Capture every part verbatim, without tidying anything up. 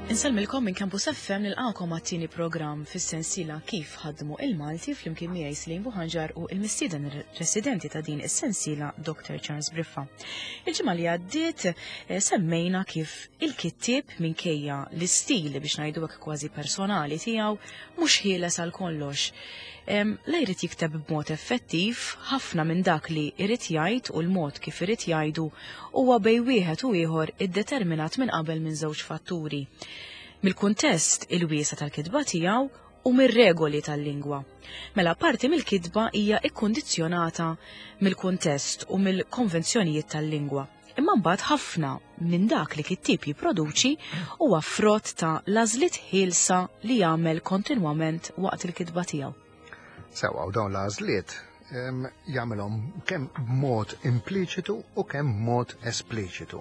Insellmilkom minn Campus F M, nilqakom għat-tieni programm fis-sensiela Kif Ħadmu il-Malti, flimkien miegħi Slim Buħanġar u il-mistieden residenti ta' din is-sensiela, Doctor Charles Briffa. Il-ġimgħa li għaddiet eh, semmejna kif il-kittieb, minkejja l-istil biex ngħidu hekk kważi personali tiegħu, mhux ħieles għal kollox. Em, La jrid jikteb b'mod effettiv, ħafna minn dak li jrid jgħid u l-mod kif irid jgħidu huwa bej wieħed u ieħor iddeterminat minn qabel minn żewġ fatturi: mill-kuntest il-wiesa tal-kitba tiegħu u mir-regoli tal-lingwa. Mela parti mill-kitba hija ikkondizzjonata mill-kuntest u mill-konvenzjonijiet tal-lingwa. Imma mbagħad ħafna minn dak li kittieb jipproduċi huwa frott ta' l-għażliet ħielsa li jagħmel kontinwament waqt il-kitba tiegħu. Sewa, u dawn l-għażliet em, jagħmelhom kemm b'mod impliċitu u kemm b'mod espliċitu.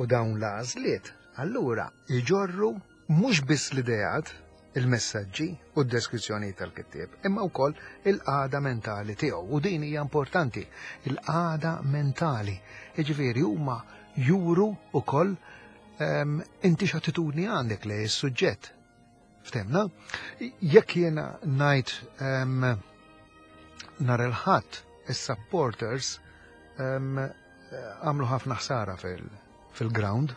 U dawn l-għażliet allura jġorru mhux biss l-ideat, il-messaġġi u d-deskrizzjoni tal-kittieb, imma wkoll il-qagħda mentali tiegħu. U din hija importanti, il-qagħda mentali. Jiġifieri huma juru wkoll em, inti x'attitudni għandek lejn is-suġġett. Ftemna? Jekk jiena ngħid em, nhar il-Ħadd is-supporters em, għamlu ħafna ħsara fil-ground,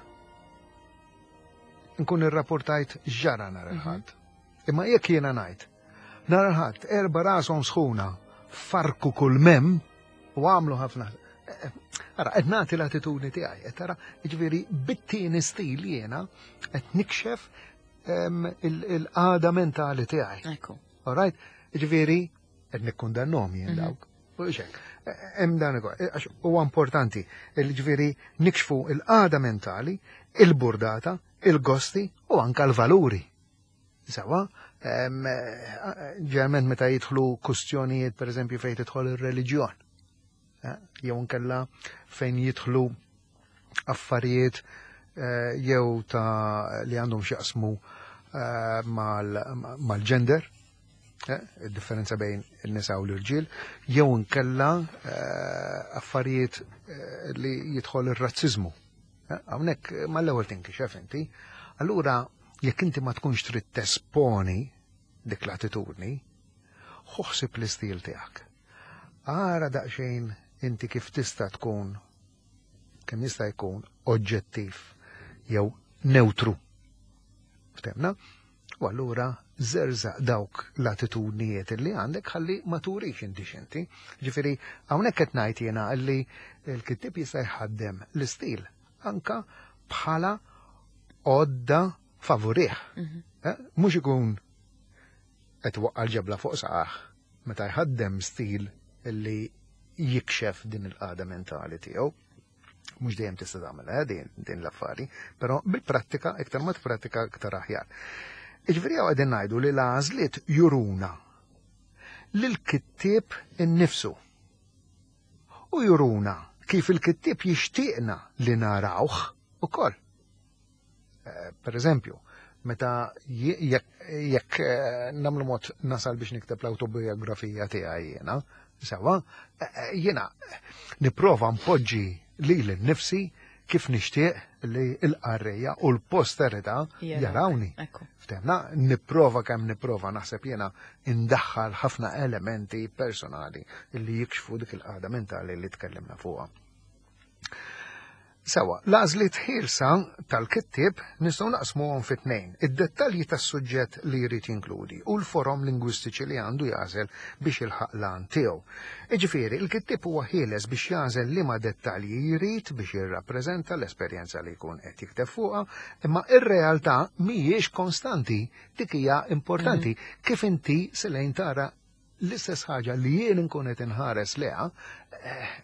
nkun irrapportajt ġara nhar il-Ħadd. Imma jekk jiena ngħid nhar il-Ħadd erba' rashom sħuna farku kull mem u għamlu ħafna. Ara, qed nagħti l-attitudni tiegħi, qed tara, jiġifieri bit-tieni stil jiena qed nikxef em, il- il-qagħda mentali tiegħi. Ekku. All right? Jiġifieri qed nikkundannhom jien dawk. U xek, hemm dan ukoll, għax huwa importanti, jiġifieri nikxfu il-qagħda mentali, il-burdata, il-gosti u anka l-valuri. Sewa, em, ġeneralment meta jidħlu kustjonijiet, per eżempju, fejn tidħol ir-reliġjon, eh, jew nkella fejn jidħlu affarijiet eh, jew ta' li għandhom x'jaqsmu eh, mal- mal-gender, eh, il-differenza bejn il-nisa u l-irġiel, jew nkella eh, affarijiet eh, li jidħol ir-razzizmu. Eh, Hawnhekk mal-ewwel tinkixef inti. Allura jekk inti ma tkunx trid tesponi dik l-attitudni, ħu ħsieb l-istil tiegħek. Ara daqsxejn inti kif tista' tkun kemm jista' jkun oġġettiv jew neutru. Ftemna? U allura żerżaq dawk l-attitudnijiet li għandek ħalli ma turix inti x'inti. Ġifieri hawnhekk qed ngħid jiena li l-kittieb jista' jħaddem l-istil anka bħala għodda favurih. Eh? Mhux ikun qed waqqa l-ġebla fuq saqajh meta jħaddem stil li jikxef din il-qagħda mentali tiegħu. Mhux dejjem tista' tagħmel eh, din, din l-affari, però bil-prattika, iktar ma tprattika, iktar aħjar. Iġifieri hawn qegħdin ngħidu li l-għażliet juruna lil-kittieb innifsu. U juruna kif il-kittieb jixtieqna li narawh ukoll. Eh, Per eżempju, meta je- jekk jekk eh, nagħmlu mod nasal biex nikteb l-autobiografija tiegħi jiena, sewa, eh, eh, jiena nipprova npoġġi lili nnifsi kif nixtieq li l-qarrejja u l-posterità Jarawk. jarawni. Ekku. Ftemna, nipprova kemm nipprova naħseb jiena indaħħal ħafna elementi personali li jikxfu dik il-qagħda mentali li tkellimna fuqha. Sewa, l-għażliet ħielsa tal-kittieb nistgħu naqsmuhom fi tnejn: id-dettalji tas-suġġett li jrid jinkludi u l-forom lingwistiċi li għandu jagħżel biex jilħaq l-għan tiegħu. Iġifieri, il-kittieb huwa ħieles biex jagħżel liema dettalji jrid biex jirrappreżenta l-esperjenza li jkun qed jikteb fuqha, imma ir-realtà mhijiex konstanti, dik hija importanti. Kif inti selejn tara l-istess ħaġa li jien nkun qed inħares leha, eh,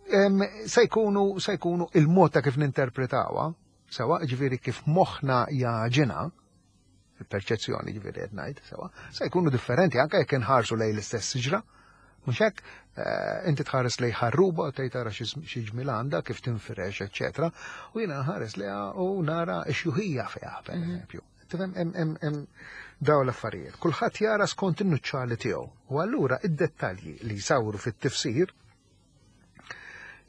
em, se jkunu se jkunu il-mod ta' kif ninterpretawha, sewa, ġifieri kif moħħna jaġina, il-perċezzjoni ġifieri qed ngħid, sewa, se jkunu differenti anke jekk inħarsu lejn l-istess siġra. Mhux hekk, eh, inti tħares lejn ħarruba u tgħid tara xi xi ġmil għandha, kif tinfirex, eċċetera. U jiena nħares lejha u nara x-xjuħija fiha, per eżempju. Tifhem, hemm hemm hemm daw l-affarijiet. Kulħadd jara skont in-nuċċali tiegħu. U allura id-dettalji li jsawru fit-tifsir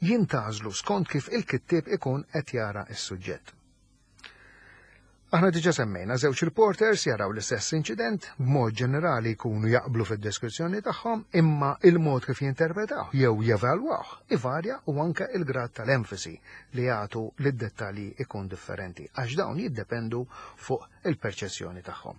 Jintgħażlu skont kif il-kittieb ikun qed jara s-suġġett. Aħna diġa semmejna żewġ reporters jaraw l-istess inċident, b'mod ġenerali jkunu jaqblu fid-deskrizzjoni tagħhom, imma il-mod kif jinterpretaw jew jevalwaw ivarja u anke il-grad tal-enfasi li jagħtu lid-dettalji ikun differenti, għax dawn jiddependu fuq il-perċezzjoni tagħhom.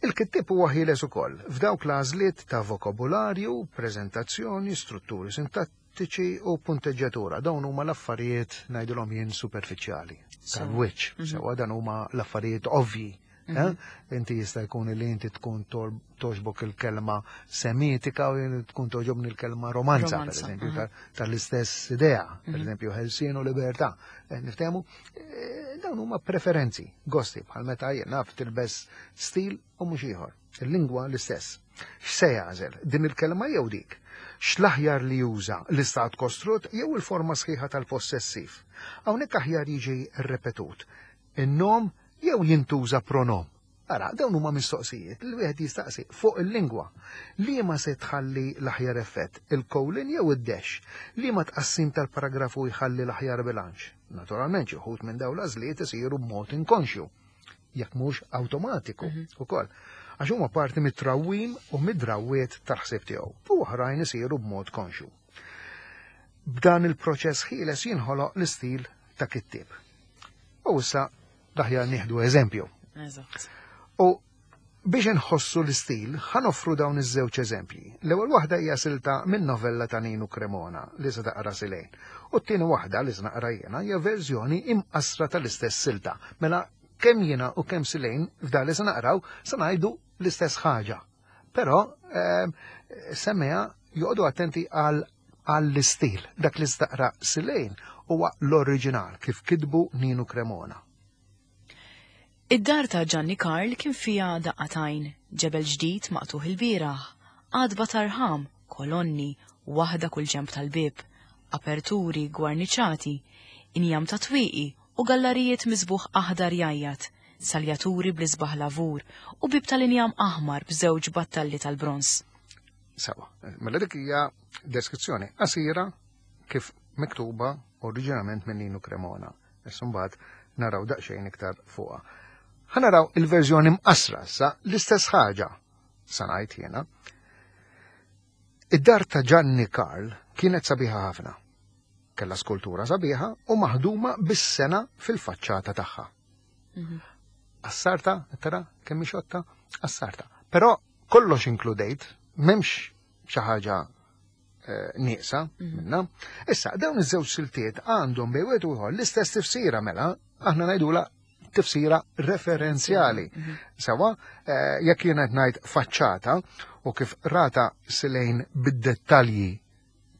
Il-kittieb huwa ħieles ukoll f'dawk l-għażliet ta' vokabularju, preżentazzjoni, strutturi sintattiċi u punteġġjatura. Dawn huma l-affarijiet, ngħidilhom jien, superfiċjali tal-wiċċ, mhm. Sewa dan huma l-affarijiet ovvji. Eh? Mhm. Inti jista' jkun li inti tkun togħġbok il-kelma semitika u tkun togħġobni l-kelma romanza, per eżempju, mhm. tal-istess idea, per eżempju, ħelsien u libertà. Eh, niftehmu, eh, dawn huma preferenzi, gosti, bħal meta jien naf tilbes stil u mhux ieħor. Il-lingwa l-istess. X'se jagħżel? Din il-kelma jew dik? X'l-aħjar li juża, l-istat kostrut jew il-forma sħiħa tal-possessiv? Hawnhekk aħjar jiġi rrepetut in-nom jew jintuża pronom? Ara, dawn huma mistoqsijiet li wieħed jistaqsi fuq il-lingwa. Li ma se tħalli l-aħjar effett, il-colon jew id-dash? Li ma tqassim tal-paragrafu jħalli l-aħjar bilanċ? Naturalment, xi wħud minn dawn l-għażliet isiru b'mod inkonxju, jekk mhux awtomatiku mhm. ukoll. Għax huma parti mit-trawwim u mid-drawwiet tal-ħsieb tiegħu, u oħrajn isiru b'mod konxju. B'dan il-proċess ħieles jinħoloq l-istil ta' kittieb. U issa l-aħjar nieħdu eżempju. Eżatt. U biex nħossu l-istil, ħa noffru dawn iż-żewġ eżempji. L-ewwel waħda hija silta minn novella ta' Ninu Cremona li se taqra Silejn. U t-tieni waħda li se naqra jiena hija verżjoni imqasra tal-istess silta. Mela kemm jiena u kemm Silejn f'dan li se naqraw se ngħidu l-istess ħaġa. Però ehm, semmeha joqogħdu attenti għal għall-istil. Dak li taqra Silejn huwa l-oriġinal kif kitbu Ninu Cremona. Id-dar ta' Gianni Karl kien fija daqqatajn, ġebel ġdid maqtuħ il-bieraħ, għadba tarħam, kolonni, waħda kull ġemp tal-bib, aperturi gwarniċati, injam ta' twieqi u gallarijiet miżbugħ aħdar jgħajjat, saljaturi bl-isbaħ lavur u bib tal-injam aħmar b'żewġ battalli tal-bronż. Sawa, mela dik hija deskrizzjoni qasira kif miktuba oriġinalment minn Ninu Cremona. Issa mbagħad naraw daqsxejn iktar fuqha. Ħa naraw il-verżjoni mqasra sa l-istess ħaġa, sa ngħid jiena. Id-dar ta' Gianni Karl kienet sabiħa ħafna. Kella skultura sabiħa u maħduma bis-sengħa fil-faċċata tagħha. Mhm. Assarta, tara, kemm xotta, assarta. Però kollox inkludejt, m'hemmx xi ħaġa eh, nieqsa Mhm. minna. Issa, dawn iż-żewġ siltiet għandhom bejn wieħed u ieħor l-istess tifsira, mela, aħna ngħidula tifsira referenzjali. Mhm. Sawa, eh, jekk jiena qed ngħid faċċata u kif rata Silejn bid-dettalji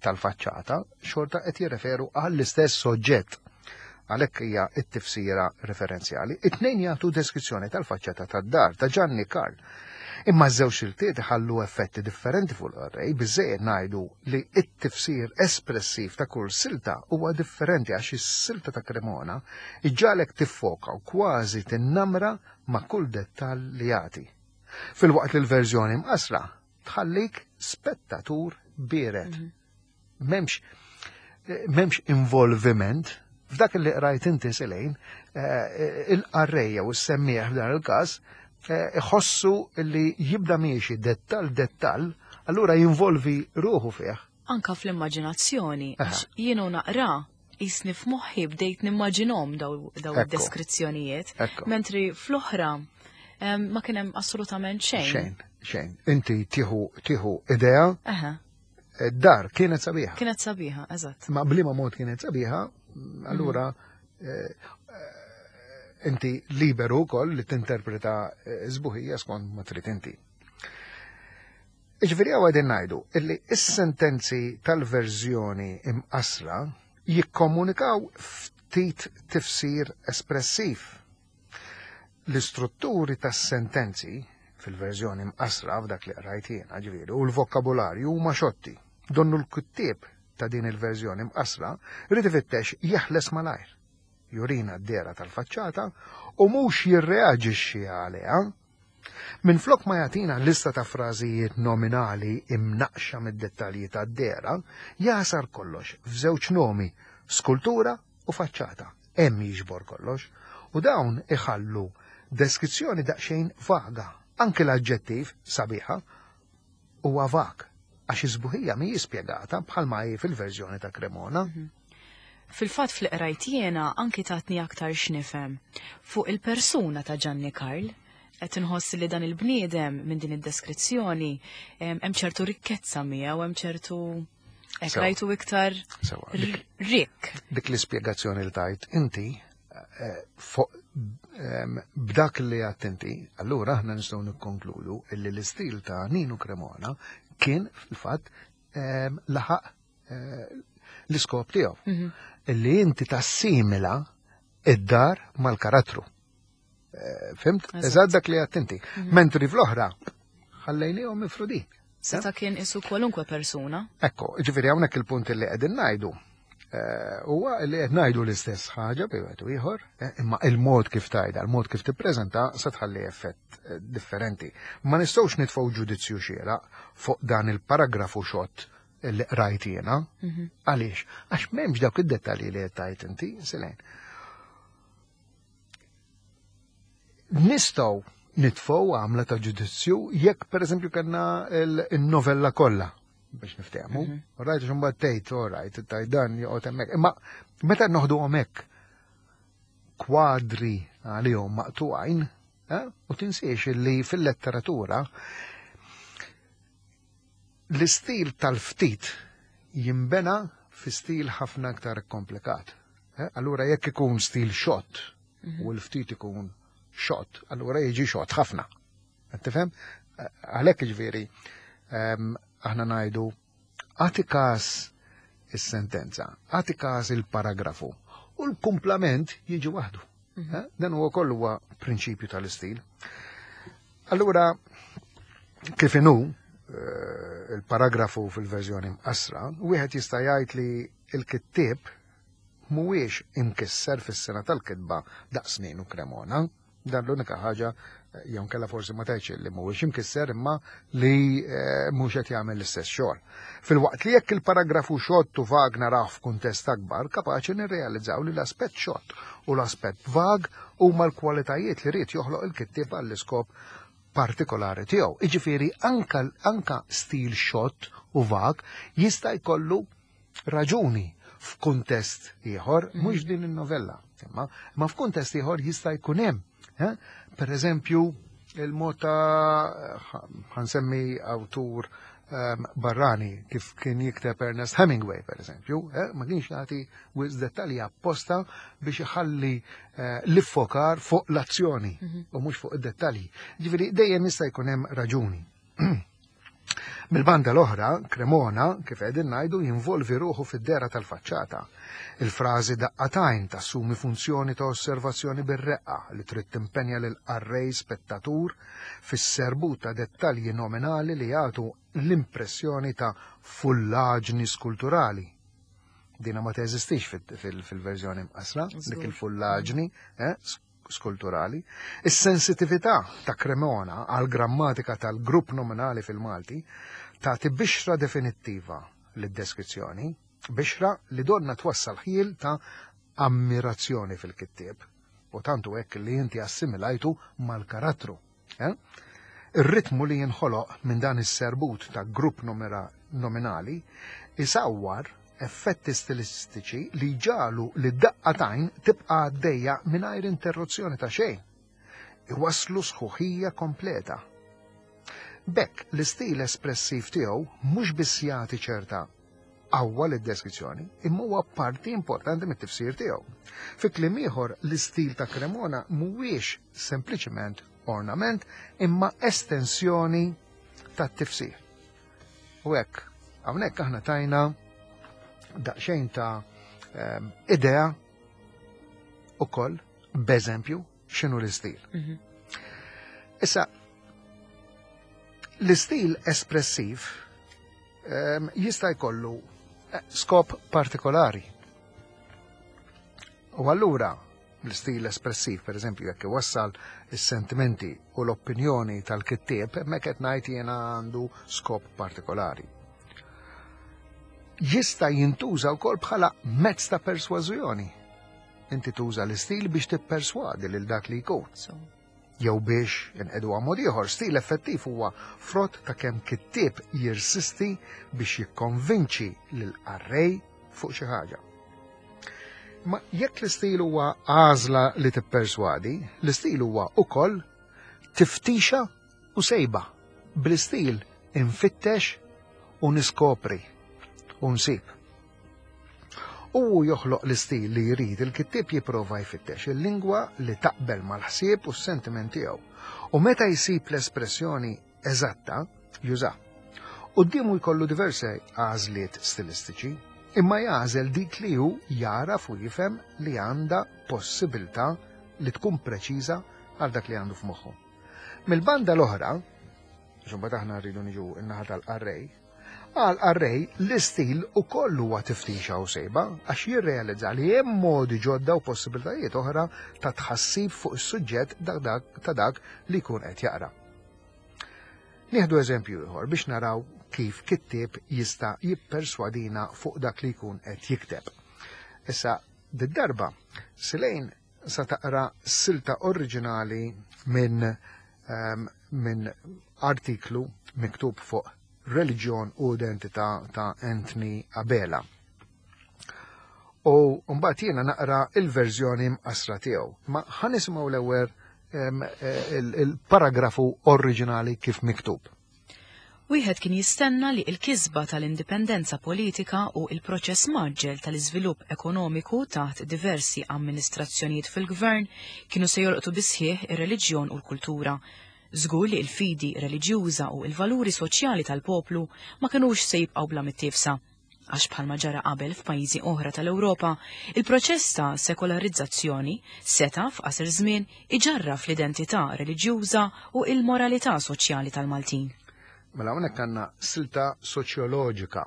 tal-faċċata, xorta qed jirreferu għall-istess soġġett. Għalhekk hija t-tifsira referenzjali. It-tnejn jagħtu deskrizzjoni tal-faċċata tad-dar ta' Gianni Karl. Imma ż-żewġ siltiet iħallu effetti differenti fuq l-qarrej, biżejjed ngħidu li t-tifsir espressiv ta' kull silta huwa differenti, għax is-silta ta' Cremona iġġagħlek tiffoka u kważi tinnamra ma' kull dettall li jagħti. Filwaqt li l-verżjoni mqasra tħallik spettatur biered. Mhm. M'hemmx m'hemmx involviment f'dak li qrajt inti, Silejn, eh, il-qarrejja u s-semmieħ f'dan il-każ eh, iħossu li jibda miexi dettal dettal, allura jinvolvi ruħu fih. Anka fl-immaġinazzjoni, Aha. għax jienu naqra jisni f'moħħi bdejt nimmaġinhom daw daw Ekku. id-deskrizzjonijiet, Ekku. mentri fl-oħra em, ma kien hemm assolutament xejn. Xejn, xejn. Inti tieħu tieħu idea, Aha, dar kienet sabiħa. Kienet sabiħa, eżatt. Ma bliema mod kienet sabiħa, allura eh, eh, inti liberu wkoll li tinterpreta eh, sbuħija skont ma trid inti. Iġifieri hawn qegħdin ngħidu illi is-sentenzi tal-verżjoni imqasra jikkomunikaw ftit tifsir espressiv. L-istrutturi tas-sentenzi fil-verżjoni mqasra f'dak li qrajt jiena, ġifieri, u l-vokabularju huma xotti. Donnu l-kittieb ta' din il-verżjoni mqasra rrid ifittex jeħles malajr. Jurina d-dehra tal-faċċata u mhux jirreaġixxi għaliha. Minflok ma jagħtina lista ta' frażijiet nominali imnaqxa mid-dettalji tad-dehra, jasar kollox f'żewġ nomi, skultura u faċċata. Hemm jiġbor kollox. U dawn iħallu deskrizzjoni daqsxejn vaga. Anke l-aġġettiv sabiħa huwa vag, għax iż-sbuħija mhijiex spjegata bħalma hi fil-verżjoni ta' Cremona. Fil-fatt fl-qrajt jiena anki tatni aktar x'nifhem fuq il-persuna ta' Gianni Karl. Qed inħoss li dan il-bniedem minn din id-deskrizzjoni hemm ċertu rikkezza miegħu, hemm ċertu hekk Sewa. rajtu iktar Sewa, dik- rikk. Dik l-ispjegazzjoni li tajt inti, eh, fuq, ehm, b'dak li għedt inti, allura aħna nistgħu nikkonkludu illi l-istil ta' Ninu Cremona kien fil-fatt ehm, laħaq eh, l-iskop tiegħu. Mhm. Illi inti tassimila id-dar mal-karattru. Eh, Fhimt? Eżatt. Eżatt dak li għedt inti. Mentri fl-oħra ħallejniehom mifrudin. Seta' kien isu kwalunkwe persuna. Ekko, ġifieri hawnhekk il-punt li qegħdin ngħidu. eh, Huwa li qed ngħidu l-istess ħaġa bi wieħed u ieħor, eh, imma il-mod kif tajda, il-mod kif tippreżenta se tħalli effett eh, differenti. Ma nistgħux nitfgħu ġudizzju xieraq fuq dan il-paragrafu xott li qrajt jiena. Għaliex? Għax m'hemmx dawk id-dettalji li qed tajt inti, Selene. Nistgħu nitfgħu għamla ta' ġudizzju jekk pereżempju kellna il-novella kollha biex niftehmu. All right, għax imbagħad tgħid, all right, tgħid dan joqgħod hemmhekk. Imma meta noħduhom hekk kwadri għalihom maqtuqajn, eh, u tinsiex li fil-letteratura l-istil tal-ftit jimbena fi stil ħafna aktar komplikat. Eh, Allura jekk ikun stil xott u l-ftit ikun xott, allura jiġi xott ħafna. Qed tifhem? Eh, Għalhekk ġifieri ehm, aħna ngħidu agħti każ is-sentenza, agħti każ il-paragrafu u l-kumplament jiġi waħdu. Eh, Dan huwa kollu huwa prinċipju tal-istil. Allura kif inhu eh, il-paragrafu fil-verżjoni mqassra, wieħed jista' jgħid li l-kittieb mhuwiex imkisser fis-sena tal-kitba daqs Ninu Cremona. Dan l-unika ħaġa eh, jew kella forsi ma tgħidx li mhuwiex imkisser imma li eh, mhux qed jagħmel l-istess xogħol. Filwaqt li jekk il-paragrafu xott u vag naraw f'kuntest akbar, kapaċi nirrealizzaw li l-aspett xott u l-aspett vag huma l-kwalitajiet li ried joħloq il-kittieb għall-iskop partikolari tiegħu. Iġifieri anka, anka stil xott u vag jista' jkollu raġuni f'kuntest ieħor, mhux din in-novella, imma ma f'kuntest ieħor jista' jkun hemm. Eh? Per eżempju, il-mod ta' ħa nsemmi awtur um, barrani kif kien jikteb Ernest Hemingway, per eżempju, eh? ma kienx jagħti wisq dettalji apposta biex iħalli eh, l-iffokar fuq l-azzjoni u mhux fuq id-dettalji. Ġifieri dejjem jista' jkun hemm raġuni. Mil-banda l-oħra, Cremona, kif qegħdin ngħidu, jinvolvi ruħu fid-dehra tal-faċċata. Il-frażi daqqa t'għajn tassumi funzjoni ta' osservazzjoni bir-reqqa li trid timpenja lil qarrej spettatur fis-serbut ta' dettalji nominali li jagħtu l-impressjoni ta' fullaġni skulturali. Dina ma teżistix fil-verżjoni mqasra, dik il-fullaġni, eh, skulturali. Is-sensitività ta' Cremona għal grammatika tal-grupp nominali fil-Malti tagħti bixra definittiva lid-deskrizzjoni, bixra li donna twassal ħjiel ta' ammirazzjoni fil-kittieb. U tantu hekk li inti assimilajtu mal-karattru. Eh? Ir-ritmu li jinħoloq minn dan is-serbut ta' grupp nominali isawwar effetti stilistiċi li ġalu li daqqa t'għajn tibqa' għaddejja mingħajr interruzzjoni ta' xejn. Iwaslu sħuħija kompleta. B'hekk l-istil espressiv tiegħu mhux biss jagħti ċerta qawwa lid-deskrizzjoni, imma huwa parti importanti mit-tifsir tiegħu. Fi kliem ieħor, l-istil ta' Cremona mhuwiex sempliċement ornament, imma estensjoni tat-tifsir. U hekk, hawnhekk aħna tajna daqsxejn ta' um, idea ukoll b'eżempju x'inhu l-istil. Mhm. Issa, l-istil espressiv um, jista' jkollu eh, skop partikolari. U allura L-istil espressiv, per eżempju, jekk iwassal is-sentimenti u l-opinjoni tal-kittieb, hemmhekk qed ngħid jiena għandu skop partikolari. Jista' jintuża wkoll bħala mezz ta' persważjoni. Inti tuża l-istil biex tipperswadi lil dak li jkun. So, Jew biex inqedu mod ieħor, stil effettiv huwa frott ta' kemm kittieb jirsisti biex jikkonvinċi lil qarrej fuq xi ħaġa. Ma jekk l-istil huwa għażla li tipperswadi, l-istil huwa ukoll tiftixa u sejba. Bl-istil infittex u niskopri u nsib. U joħloq l-istil li jrid il-kittieb jipprova jfittex il-lingwa li taqbel mal-ħsieb u s-sentiment tiegħu. U meta jsib l-espressjoni eżatta, juża. Quddiemu jkollu diversi għażliet stilistiċi, imma jagħżel dik li hu jaraf u jifhem li għandha possibilità li tkun preċiża għal dak li għandu f'moħħu. Mill-banda l-oħra, xumbat aħna rridu niġu n-naħa tal-qarrej, għal qarrej l-istil ukoll huwa tiftixa u sejba għax jirrealizza li hemm modi ġodda u possibilitajiet oħra ta' tħassib fuq is-suġġett ta' dak li jkun qed jaqra. Nieħdu eżempju ieħor biex naraw kif kittieb jista' jipperswadina fuq dak li jkun qed jikteb. Issa, did-darba, Silejn sa taqra silta oriġinali minn um, min artiklu miktub fuq reliġjon u identità ta' Anthony Abela. U mbagħad jiena naqra il-verżjoni mqasra tiegħu. Ma ħa nisimgħu l-ewwel il-paragrafu oriġinali kif miktub. Wieħed kien jistenna li l-kisba tal-indipendenza politika u il-proċess mgħaġġel tal-iżvilupp ekonomiku taħt diversi amministrazzjonijiet fil-gvern kienu se jolqtu bisħieħ ir-reliġjon u l-kultura. Żgur li l-fidi reliġjuża u l-valuri soċjali tal-poplu ma kinux se jibqgħu bla mittiefsa. Għax bħalma ġara qabel f'pajjiżi oħra tal-Ewropa, il-proċess ta' sekolarizzazzjoni seta' f'qasir żmien iġarraf l-identità reliġjuża u il-moralità soċjali tal-Maltin. Mela hawnhekk għandna silta soċjoloġika.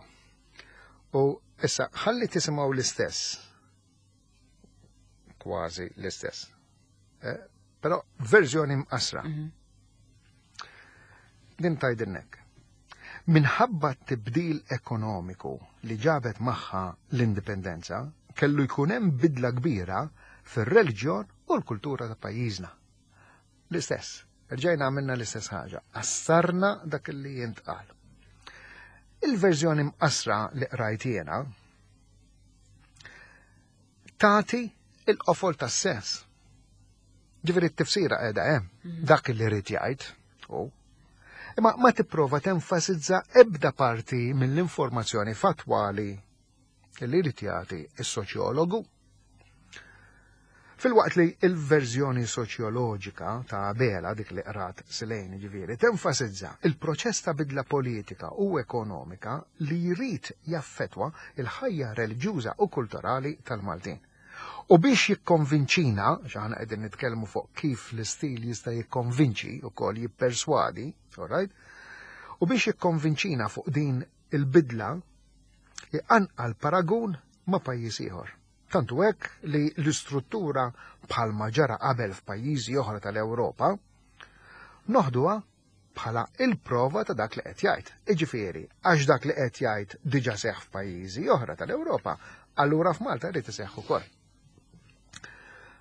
U issa ħalli tisimgħu l-istess. Kważi l-istess. Eh, però verżjoni mqasra. Mhm. Din tgħidilnek. Minħabba t-tibdil ekonomiku li ġabet magħha l-indipendenza, kellu jkun hemm bidla kbira fir-reliġjon u l-kultura ta' pajjiżna. L-istess, rġajna għamilna l-istess ħaġa, qassarna dak li jintqal. Il-verżjoni mqasra li qrajt jiena tagħti il-qofol tas-sens. Ġifieri t-tifsira qiegħda hemm, dak li rid jgħid u imma ma tipprova tenfasizza ebda parti mill-informazzjoni fattwali li jrid jagħti is-soċjologu. Filwaqt li il-verżjoni soċjoloġika ta' Abela, dik li qrat Silejn ġifieri, tenfasizza il-proċess ta' bidla politika u ekonomika li jrid jaffetwa il-ħajja reliġjuża u kulturali tal-Maltin. U biex jikkonvinċina, x'aħna qegħdin nitkellmu fuq kif l-istil jista' jikkonvinċi ukoll jipperswadi, all right? U biex jikkonvinċina fuq din il-bidla, iqanqal paragun ma' pajjiż ieħor. Tantu hekk li l-istruttura bħalma ġara qabel f'pajjiżi oħra tal-Ewropa, noħduha bħala il-prova ta' dak li qed jgħid. Iġifieri, għax dak li qed jgħid diġà seħħ f'pajjiżi oħra tal-Ewropa, allura f'Malta jrid iseħħ ukoll.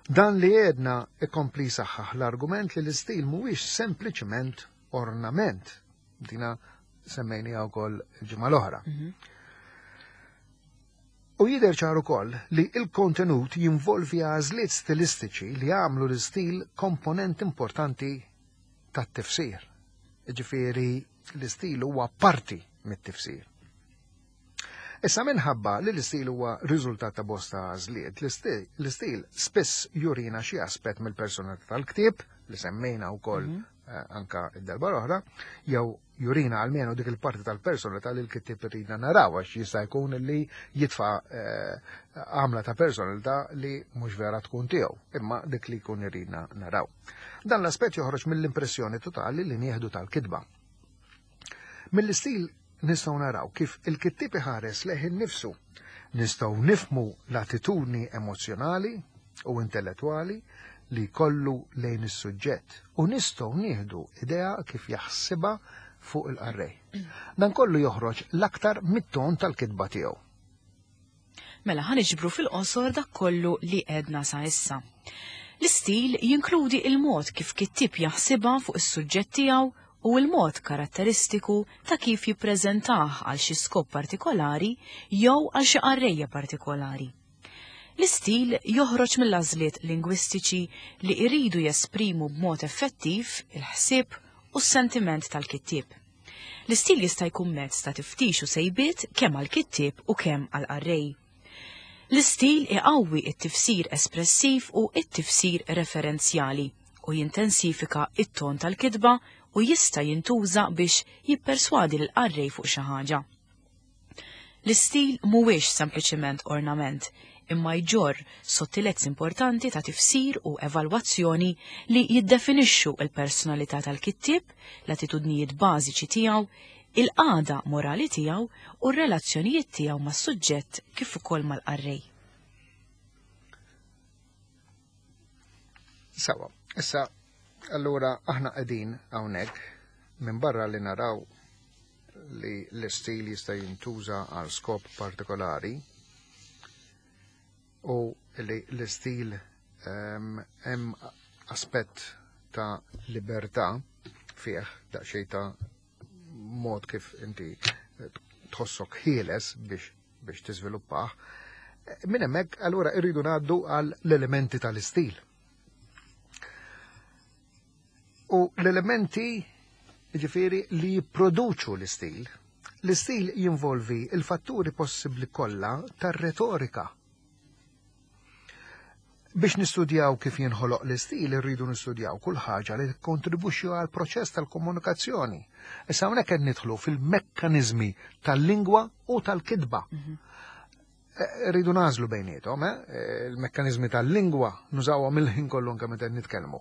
Dan li għedna ikompli saħħaħ l-argument li l-istil mhuwiex sempliċement ornament. Dina semmejniha wkoll il-ġimgħa l-oħra. Mhm. U jidher ċar ukoll li il-kontenut jinvolvi għażliet stilistiċi li jagħmlu l-istil komponent importanti tat-tifsir. Ġifieri l-istil huwa parti mit-tifsir. Issa minħabba li l-istil huwa riżultat ta' bosta għażliet, l-istil, l-istil spiss jurina xi aspett mill-personalità tal-ktieb li semmejna wkoll Mhm. eh, anka id-darba l-oħra, jew jurina almenu dik il-parti tal-personalità li l-kittieb iridna naraw għax jista' jkun li jitfa' eh, għamla ta' personalità li mhux vera tkun tiegħu, imma dik li jkun iridna naraw. Dan l-aspett joħroġ mill-impressjoni totali li nieħdu tal-kitba. Mill-istil nistgħu naraw kif il-kittieb iħares lejh innifsu. Nistgħu nifhmu l-attitudni emozjonali u intellettwali li kollu lejn is-suġġett u nistgħu nieħdu idea kif jaħsibha fuq il-qarrej. Dan kollu joħroġ l-aktar mit-ton tal-kitba tiegħu. Mela ħa niġbru fil-qosor dak kollu li għedna sa issa. L-istil jinkludi il-mod kif kittieb jaħsibha fuq is-suġġett tiegħu u l-mod karatteristiku ta' kif jippreżentah għal xi skop partikolari jew għal xi qarrejja partikolari. L-istil joħroġ mill-għażliet lingwistiċi li jridu jesprimu b'mod effettiv il-ħsieb u s-sentiment tal-kittieb. L-istil jista' jkun mezz ta' tiftix u sejbiet kemm għall-kittieb u kemm għall-qarrej. L-istil iqawwi it-tifsir espressiv u it-tifsir referenzjali u jintensifika it-ton tal-kitba u jista' jintuża biex jipperswadi l-qarrej fuq xi ħaġa. L-istil mhuwiex sempliċement ornament, imma jġorr sottilezz importanti ta' tifsir u evalwazzjoni li jiddefinixxu l-personalità tal-kittieb, l-attitudnijiet bażiċi tiegħu, il-qagħda morali tiegħu u r-relazzjonijiet tiegħu mas-suġġett kif ukoll mal-qarrej. Sawa, issa allura aħna qegħdin hawnhekk minn barra li naraw li l-istil jista' jintuża għal skop partikolari u li l-istil hemm aspett ta' libertà fih, daqsxejn ta' mod kif inti tħossok ħieles biex biex tiżviluppah. Minn hemmhekk allura rridu ngħaddu għal l-elementi tal-istil. U l-elementi ġifieri li jipproduċu l-istil. L-istil jinvolvi il-fatturi possibbli kollha tar-retorika. Biex nistudjaw kif jinħoloq l-istil, irridu nistudjaw kull ħaġa li tikkontribwixxi għal proċess tal-komunikazzjoni. Issa hawnhekk qed nidħlu fil-mekkaniżmi tal-lingwa u tal-kitba. Rridu nażlu bejniethom, eh? Il-mekkaniżmi tal-lingwa nużawhom il-ħin kollu anke meta nitkellmu.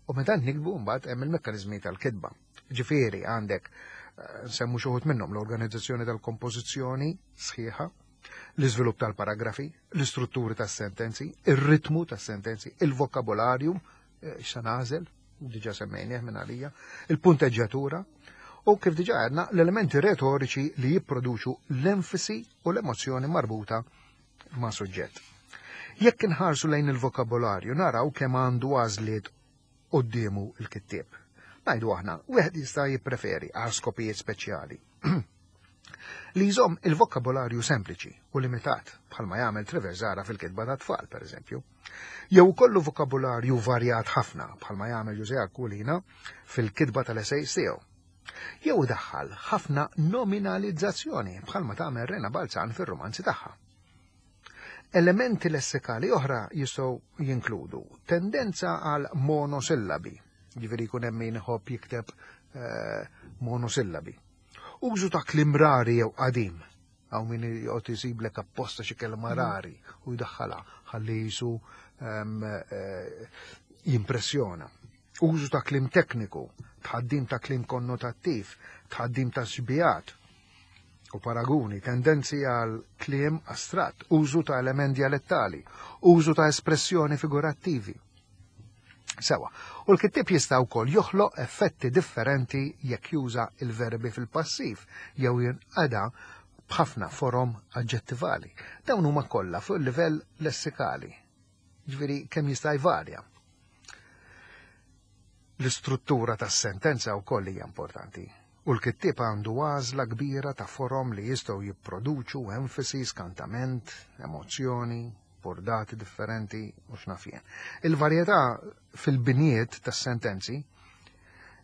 U meta nikbu mbagħad hemm il-mekkaniżmi tal-kitba. Ġifieri għandek nsemmu xi wħud minnhom l-organizzazzjoni tal-kompożizzjoni sħiħa, l-iżvilupp tal-paragrafi, l-istrutturi tas-sentenzi, ir-ritmu tas-sentenzi, il-vokabolarju, x'sa nagħżel, diġà semmejnieh minn għalija, il-punteġġjatura u kif diġà għedna l-elementi retoriċi li jipproduċu l-enfasi u l-emozzjoni marbuta ma' suġġett. Jekk inħarsu lejn il-vokabolarju naraw kemm għandu għażliet quddiemu il-kittieb. Ngħidu aħna, wieħed jista' jippreferi għal skopijiet speċjali li jżomm il-vokabolarju sempliċi u limitat, bħalma jagħmel Trevor Zara fil-kitba ta' tfal, per eżempju. Jew kollu vokabolarju varjat ħafna, bħalma jagħmel José Aquilina fil-kitba tal-essays tiegħu. Jew daħħal ħafna nominalizzazzjoni, bħalma tagħmel Rena Balzan fir-romanzi tagħha. Elementi lessikali oħra jistgħu jinkludu tendenza għal monosillabi, ġifieri jkun hemm min iħobb jikteb eh, monosillabi. Użu ta' kliem rari jew qadim, għaw min joqgħod isiblek apposta xi kelma rari u jdaħħalha ħalli jisu jimpressjona. Użu ta' kliem tekniku, tħaddim ta' kliem konnotattiv, tħaddim ta' xbijat u paraguni, tendenzi għal kliem astratt, użu ta' element dialettali, użu ta' espressjoni figurattivi. Sewa, u l-kittieb jista' wkoll joħloq effetti differenti jekk juża il-verbi fil-passiv jew jinqada b'ħafna forom aġġettivali. Dawn huma kollha fuq il-livell lessikali. Ġifieri kemm jista' jvarja. L-istruttura tas-sentenza wkoll hija importanti. U l-kittieb għandu għażla kbira ta' forom li jistgħu jipproduċu enfasi, skantament, emozzjoni, bordati differenti u x'naf jien. Il-varjetà fil-binijiet tas-sentenzi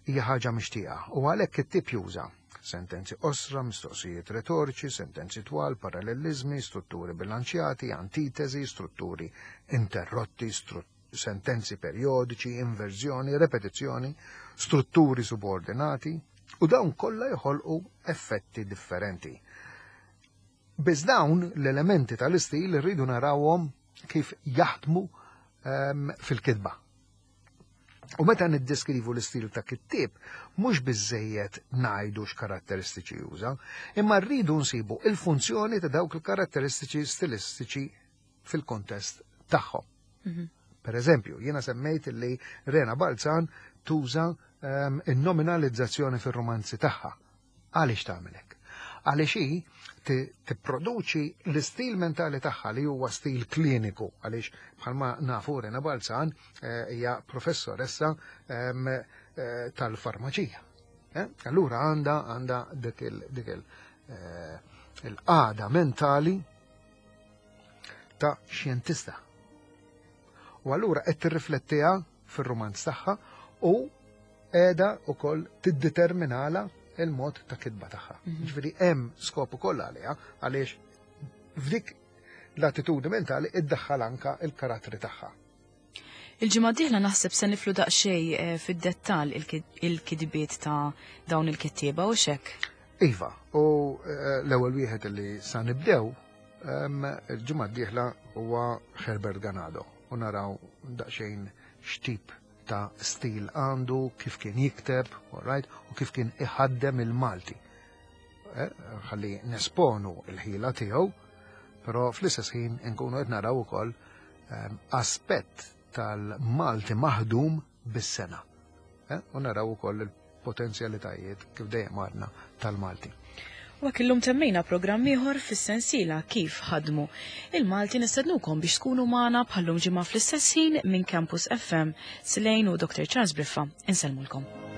hija ħaġa mixtieqa u għalhekk it-tip juża sentenzi qosra, mistoqsijiet retoriċi, sentenzi twal, parallelizmi, strutturi bilanċjati, antitesi, strutturi interrotti, stru sentenzi periodiċi, inverżjoni, repetizzjoni, strutturi subordinati u dawn kollha joħolqu effetti differenti. Biss dawn l-elementi tal-istil irridu narawhom kif jaħdmu um, fil-kitba. U meta niddeskrivu l-istil ta' kittieb, mhux biżejjed ngħidu x'karatteristiċi juża, imma rridu nsibu il-funzjoni ta' dawk il-karatteristiċi stilistiċi fil-kontest tagħhom. Mhm. Per eżempju, jiena semmejt li Rena Balzan tuża um, il-nominalizzazzjoni fir-romanzi tagħha. Għaliex tagħmel hekk? Għaliex hi tipproduċi l-istil mentali tagħha li huwa stil kliniku, għaliex bħalma nafu Rena Balzan eh, hija professoressa ehm, eh, tal-farmaċija. Eh? Allura għandha għandha dik il- dik il- eh, il-qagħda mentali ta' xjentista. U allura qed tirriflettiha fir-romanz tagħha u qiegħda wkoll tiddeterminala il-mod ta' kitba tagħha. Mhm. Ġifieri hemm skop ukoll għaliha, għaliex f'dik l-attitudni mentali iddaħħal anka il-karattri tagħha. Il-ġimgħa d-dieħla naħseb se nidħlu daqsxejn eh, fid-dettall il-kitbiet ta' dawn il-kittieba u xek. Iva, u eh, l-ewwel wieħed li sa nibdew em, il-ġimgħa d-dieħla huwa Herbert Ganado u naraw daqsxejn x'tip ta' stil għandu, kif kien jikteb, all right, u kif kien iħaddem il-Malti. Eh, Ħalli nesponu il-ħila tiegħu, però fl-istess ħin nkunu qed naraw ukoll em, aspett tal-Malti maħdum bis-sengħa. Eh, U naraw ukoll il-potenzjalitajiet kif dejjem għadna tal-Malti. U hekk illum temmejna programm ieħor fis-sensiela Kif Ħadmu il-Malti. Nistednukom biex tkunu magħna bħallum ġimgħa fl-istess ħin minn Campus F M. Silejn u Doctor Charles Briffa insellmulkom.